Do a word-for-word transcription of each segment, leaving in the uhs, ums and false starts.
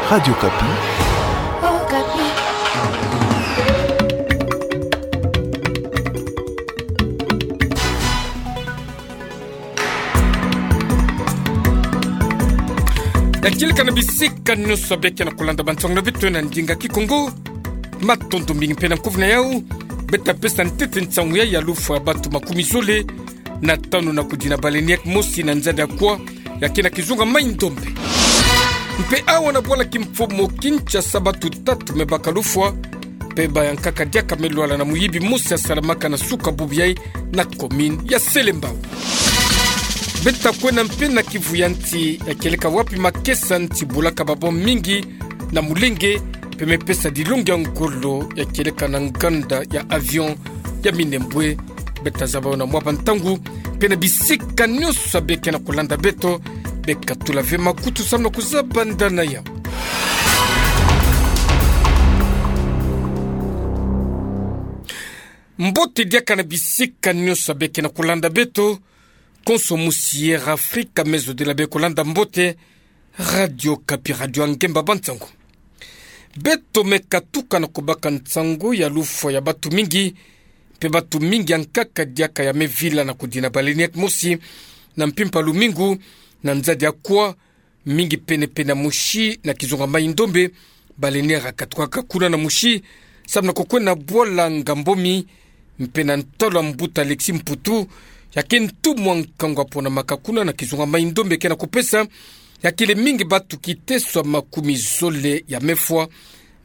Radio Okapi. Yakieleka na bisika nyonso beke na kolanda bansango na beto na ndinga Kikongo. Matondo mingi mpe na nkovu na yau. Beta pesa ntete nsango ya ya lufwa ya bantu makumi zole na tanu na kudina baleinière mosi na nzadi ya Kwa, yake na kizunga Mai-Ndombe. Mpe awa na bwala kimfumu Kinshasa, bantu tatu me baka lufwa, mpe bayankaka diaka me lwala na muyibi mosi asalamaka na suka bubu yai na commune ya Selembao. Beta kwenda mpe na Kivu ya nsi, yakieleka wapi makesa nsi bulaka ba bombe mingi na molenge, mpe me pesa dilongi ya ngolo, yakieleka na nganda ya avion ya Minembwe. Beta zaba yo na mwa bantangu, mpe na bisika nyonso beke na kolanda beto, beka tula ve makutu samu na kuzaba ndani na yau. Mbote diaka na bisika nyonso beke na kolanda beto, konso musi Air Afrika, me zodila beka kolanda mbote, Radio Okapi, radio ya ngemba bansango. Beto me katuka na kubaka nsango ya lufwa ya bantu mingi, mpe bantu mingi yankaka diaka ya me vila na kudina baleinière mosi na mpimpa lumingu na nzadi ya Kwa, mingi pene-pene ya Moshi na kizunga Mai-Ndombe. Baleinière yakatukaka kuna na Moshi samu na kukwenda bwala Ngambomi, mpe na ntwala mbuta Alexis Mputu, yake ntumwa nkangu aponamaka kuna na kizunga Mai-Ndombe, ke na kupesa, yakiele mingi bantu kiteso ya makumi zole ya me fwa,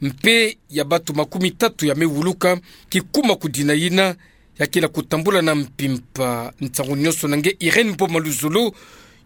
mpe ya bantu makumi tatu ya me wuluka, kikuma kudina yina, yakiele kutambula na mpimpa. Nsangu nyonso na nge Irène Boma Luzolo,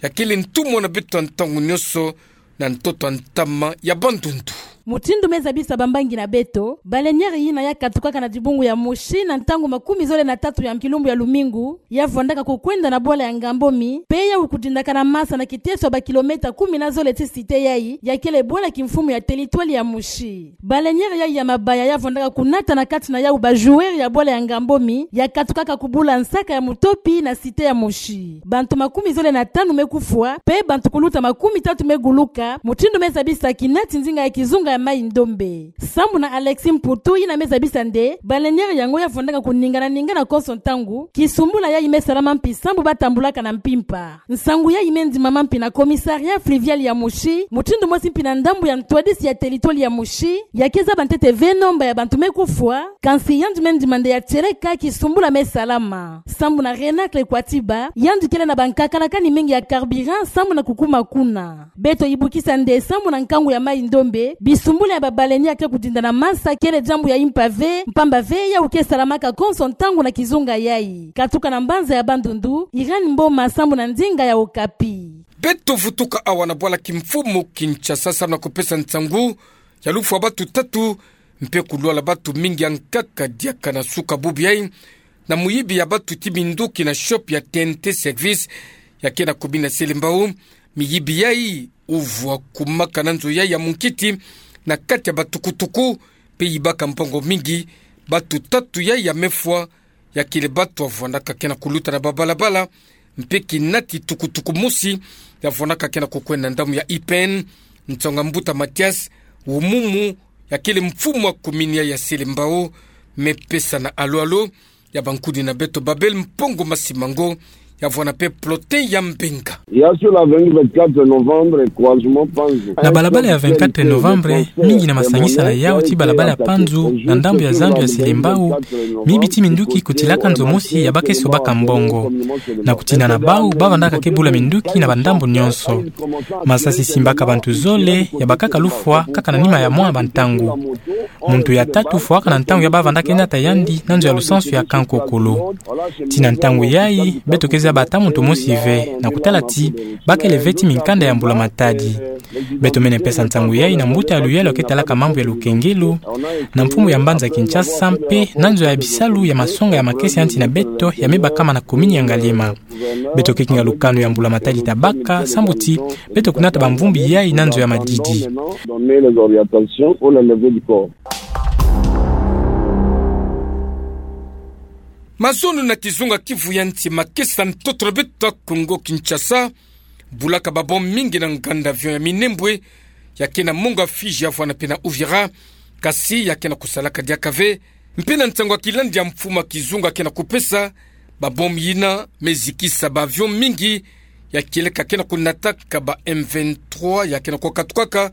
yakiele ntumwa na beto ya ntangu nyonso na ntoto ya ntama ya Bandundu. Mutindu me zabisa bambangi na beto, baleinière yina yakatukaka na dibungu ya Moshi na ntangu makumi zole na tatu ya kilumbu ya lumingu, ya vwandaka kukwenda na bwala ya Ngambomi, mpe yau kudindaka na masa na kiteso ya ba kilomètre kumi na zole ti cité yai, yakiele bwala kimfumu ya territoire ya Moshi. Baleinière yai ya mabaya ya vwandaka kunata na kati na yau ba joueurs ya bwala ya Ngambomi, yakatukaka kubula nsaka ya mutopi na cité ya Moshi. Bantu makumi zole na tanu me kufwa, mpe bantu kuluta makumi tatu me guluka, mutindu me zabisa kinati nzinga ya kizunga ya Mai-Ndombe. Sambu na Alexis Mputu, yina me zabisa nde baleinière yango ya vwandaka kuningana-ningana konso ntangu, kisumbula yai me salama mpi sambu batambulaka na mpimpa. Nsangu yai me ndimama mpi na commissariat fluvial ya Moshi, mutindu mosi mpi na ndambu ya ntwadisi ya territoire ya Moshi, ya ke zaba ntete ve nombre ya bantu me kufwa, kansi yandi me ndima nde ya tieleka kisumbula me salama. Sambu na Renacle Kwatiba, yandi kele na bankakalakani mingi ya carburant sambu na kukuma kuna. Beto yibukisa nde sambu na nkangu ya Mai-Ndombe, bisumbula ya babaleinière ya ke kudinda na masa kele diambu ya impa ve, mpamba ve yau ke salamaka konso ntangu na kizunga yai. Katuka na mbanza ya Bandundu, Irène Mboma sambu na nzinga ya Okapi. Beto vutuka awa na bwala kimfumu Kinshasa samu na kupesa nsangu ya lufwa ya bantu tatu, mpe kulwala bantu mingi yankaka diaka na suka bubu yai, na muyibi ya bantu ti minduki na shop ya T N T Service, ya ke na commune ya Selembao. Miyibi yai uvwa kumaka na nzo yai ya munkiti na kati ya batukutuku, mpe yibaka mbongo mingi. Bantu tatu yai ya me fwa, yakiele bantu ya vwandaka ke na kuluta na babalabala, mpe kinati tukutuku mosi ya vwandaka ke na kukwenda na ndambu ya I P N. Nsangu ya mbuta Mathias Wumumu, yakiele mfumu ya commune ya Selembao, me pesa na alo-alo ya bankuni na beto Babel Mpongo Masimango, ya vwanda mpe Plotin ya Mbenga. Il y a sur la vingt-quatre novembre, croisement Panzu. Na balabala ya vingt-quatre novembre, mingi na masangisa na yau ti balabala ya Panzu, na ndambu ya zandu ya Selembao, miyibi ti minduki kutilaka nzo mosi ya ba ke sobaka mbongo. Na kutina na bau, ba vandaka ke bula minduki na bandambu nyonso. Masasi simbaka bantu zole, ya bakaka lufwa, kaka na nima ya mwa bantangu. Muntu ya tatu fwaka na ntangu ya ba vandaka ke nata yandi na nzo ya lusansu ya Kankokolo. Tii na ntangu yai, beto ke zaba ata muntu mosi ve, na kutala ti ba kele ve ti minkanda ya mbula-matadi. Beto mene pesa nsangu yai na mbuta ya luyalu ya ke talaka mambu ya lukengelo, na mfumu ya mbanza Kinshasa mpe na nzo ya bisalu ya masonga ya makesa ya nsi na beto ya me bakama na commune ya Ngaliema. Beto ke kinga lukanu ya mbula-matadi ta baka, sambu ti beto kunata bamvumbi yai na nzo ya madidi. Mazono na kizunga Kivu ya nsi, makesa ntoto na beto Kongo Kinshasa bulaka ba bombe mingi na nganda avion ya Minembwe, ya ke na mongo ya Fidji ya vwanda mpe na Uvira, kasi ya ke na kusalaka diaka ve. Mpe na nsangu ya kilandi ya mfumu ya kizunga ke na kupesa, ba bombe yina me zikisa ba avion mingi ya kieleka ke na kunataka ba M vingt-trois ya ke na kukatukaka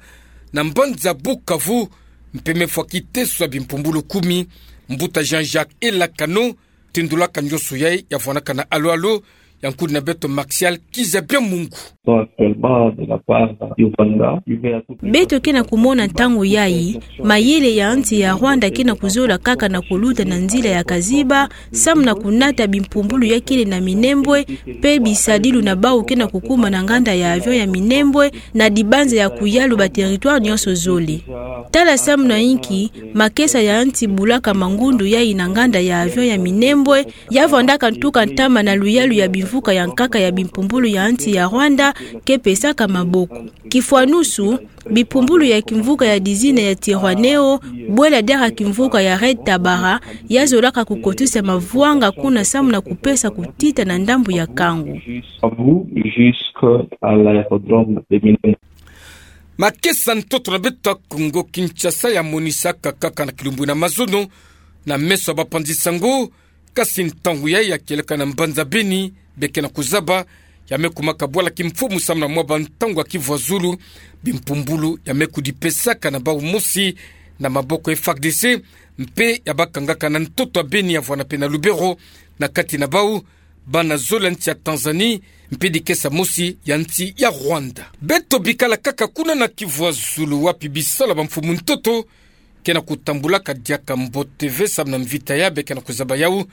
na mbanza Bukavu, mpe me fwa kiteso ya bimpumbulu kumi. Mbuta Jean-Jacques Elakano tindulaka nyoso yayi ya vwandaka na alo-alo ya nkundi na beto Martial Kizabia Mungu. Sont actuellement de la part du Rwanda, qui veut à tout prix... Beto ke na kumona ntangu yayi mayele ya nsi ya Rwanda ke na kuzola kaka na kuluta na nzila ya kaziba, samu na kunata bimpumbulu ya kele na Minembwe, mpe bisadilu na bawu ke na kukuma na nganda ya avion ya Minembwe, na dibanza ya kuyalu ba territoire nyoso zole. Tala samu na inki makesa ya nsi bulaka mangundu yayi na nganda ya avion ya Minembwe, ya vwandaka ntuka ntama na luyalu ya bimvuka ya nkaka ya bimpumbulu ya nsi ya Rwanda ke pesaka maboko. Kifwanusu, bimpumbulu ya kimvuka ya dizina ya Twirwaneho, bwela diaka kimvuka ya Red Tabara, ya zolaka kukotisa mavwanga kuna samu na kupesa kutita na ndambu ya kangu. Jusqu'à l'aérodrome de Minembwe. Makesa ntoto na beto ya Kongo Kinshasa ya monisaka kaka na kilumbu na mazono na meso ya bapanzi sango, kasi ntangu yayi ya kieleka na mbanza Beni, be ke na kuzaba, ya me kumaka bwala kimfumu samu na mwa bantangu ya kivwazulu, bimpumbulu ya me kudipesaka na bawu mosi na maboko ya F A R D C, mpe ya bakangaka na ntoto ya Beni ya vwanda mpe na Lubero, na kati na bawu bana zole ya nsi ya Tanzanie, mpe dikesa mosi ya nsi ya Rwanda. Beto bikala kaka kuna na kivwazulu wapi bisalu ya bamfumu ntoto ke na kutambulaka diaka mbote ve samu na mvita ya be ke na kuzaba yawu,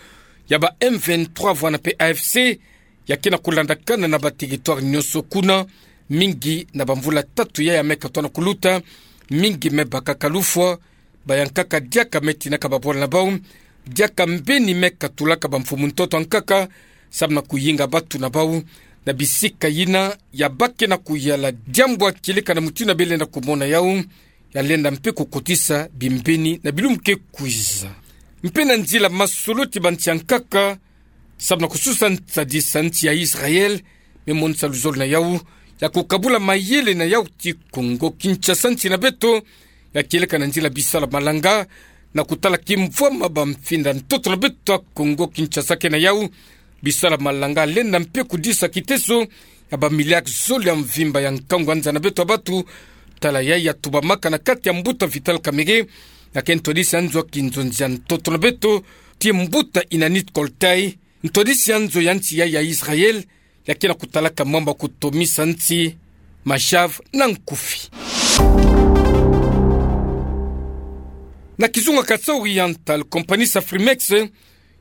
ya ba M vingt-trois vwanda mpe A F C, ya ke na kulandakana na ba territoire nyoso kuna, mingi na bamvula tatu yayi ya me katuana kuluta, mingi me bakaka lufwa, bayankaka diaka me tinaka babwala na bawu, diaka mbeni me katulaka bamfumu ntoto ya nkaka, samu na kuyinga batu na bawu na bisika yina ya ba ke na kuyala. Diambu ya kieleka na mutindu ya bie lenda kumona yawu, ya lenda mpe kukotisa bimbeni na bilumbu ke kwiza. Mpe na nzila masolo ti bansi ya nkaka, samu na kususa nsadisa nsi ya Israël, me monisa luzolo na yawu ya kukabula mayele na yawu ti Kongo Kinshasa, nsi na beto, ya kieleka na nzila bisalu ya malanga, na kutala kimvwama bamfinda ntoto na beto ya Kongo Kinshasa ke na yawu. Bisalu ya malanga lenda mpe kudisa kiteso ya ba milliards zole ya mvimba ya nkangu ya nza na beto ya batu. Tala yayi ya tubamaka na kati ya mbuta Vital Kamerhe, ya ke ntwadisi ya nzo ya kinzonzi ya ntoto na beto, ti mbuta Inanit Koltai, ntwadisi ya nzo ya nsi yayi ya Israël, ya ke na kutalaka mambu ya kutomisa nsi, mashav na nkufi. Na kizunga Kasaï Oriental, kompani Safrimex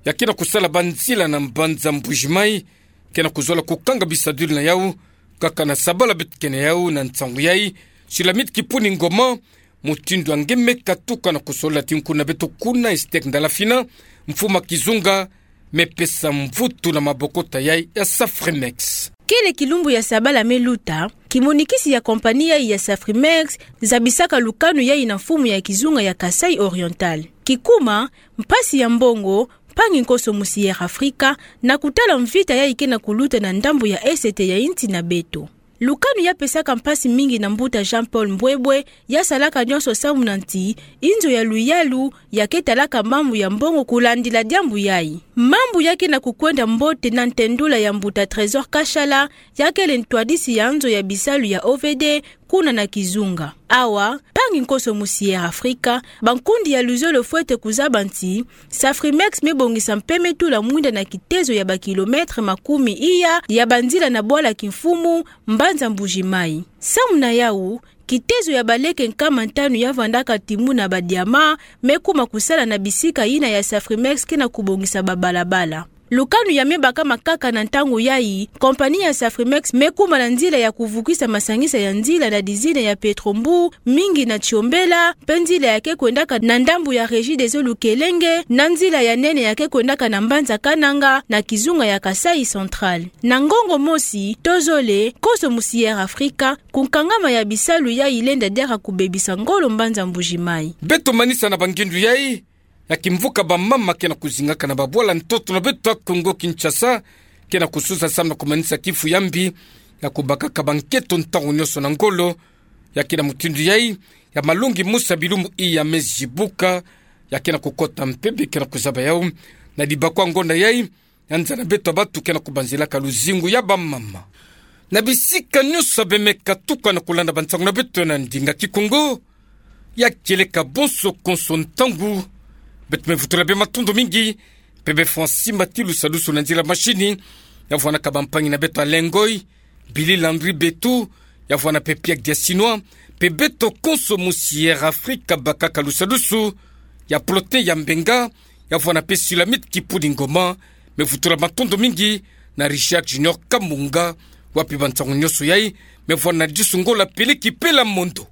ya ke na kusala banzila na mbanza Mbuji-Mayi, ke na kuzola kukanga bisadilu na yawu, kaka na sabala beto ke na yawu na nsangu yayi, Sulamite Kipuni Ngoma, mutindu ya nge me katuka na kusolola ti nkundi na beto kuna Estek Ndala Fina, mfumu ya kizunga, me pesa mvutu na mabokota yayi ya Safrimex. Kele kilumbu ya sabala me luta, kimonikisi ya kompani yayi ya Safrimex zabisaka lukanu yayi na mfumu ya kizunga ya Kasaï Oriental. Kikuma, mpasi ya mbongo, mpangi nkoso Musier Afrika, na kutala mvita yayi ke na kuluta na ndambu ya esete ya nsi na beto. Lukanu ya pesaka mpasi mingi na mbuta Jean-Paul Mbwebwe, ya salaka nionso samu na nsi, inzo ya luyalu ya ke talaka mambu ya mbongo kulandila diambu yayi. Mambu ya ke na kukwenda mbote na ntendula ya mbuta Trésor Kashala, ya kele ntwadisi ya nzo ya bisalu ya O V D, kuna na kizunga. Awa, mpangi nkoso Musier Afrika, bankundi ya luzolo fwete kuzaba nsi, Safrimex me bongisa mpe me tula mwinda na kitezo ya ba kilomètre makumi iya ya banzila na bwala kimfumu, mbanza Mbuji-Mayi. Samu na yawu, kitezo ya baleke nkama ntanu ya vandaka timu na ba diamant, me kuma kusala na bisika yina ya Safrimex ke na kubongisa ba balabala. Lukanu ya me bakama kaka na ntangu yayi, kompani ya Safrimex me kuma na nzila ya kuvukisa masangisa ya nzila na dizina ya Petro-Mbu, mingi na Tsiombela, mpe nzila ya ke kwendaka na ndambu ya Regideso Lukelenge, na nzila ya nene ya ke kwendaka na mbanza Kananga, na kizunga ya Kasaï Central. Na ngongo mosi, tozole, nkoso Musier Afrika, kunkangama ya bisalu yayi lenda diaka kubebisa ngolo mbanza Mbuji-Mayi. Beto manisa na bangindu yayi, ya kimvuka bamama ke na kuzingaka na babwala ntoto na beto ya Kongo Kinshasa, ke na kususa samu na kumanisa kifu ya mbi, ya kubakaka banketo ntangu nionso na ngolo, Ya ke na mutindu yai, ya malongi mosi ya bilumu i ya Mezi Buka, ya ke na kukota mpeve ke na kuzaba yau, na dibakwa ngonda yai, ya nza na beto ya batu ke na kubanzilaka luzingu ya bamama. Na bisika nyonso ya bemeka tuka na kulanda bansangu na beto na ndinga Kikongo, ya kieleka bonso konso ntangu, beto me vutula bie matondo mingi, mpe bie fwa nsimba ti lusadusu na nzila mashini, ya vwana ka bampangi na beto Alain Ngoy, Billy Landry Betu, ya vwana mpe Pierre Diasinois, mpe beto konso mosi Air Africa bakaka lusadusu, ya Plotin ya Mbenga, ya vwana mpe Sulamite Kipudi Ngoma, me vutula matondo mingi na Richard Junior Kamunga, wapi bansangu nyonso yai, me vwana na disu ngola peleki pela mondo.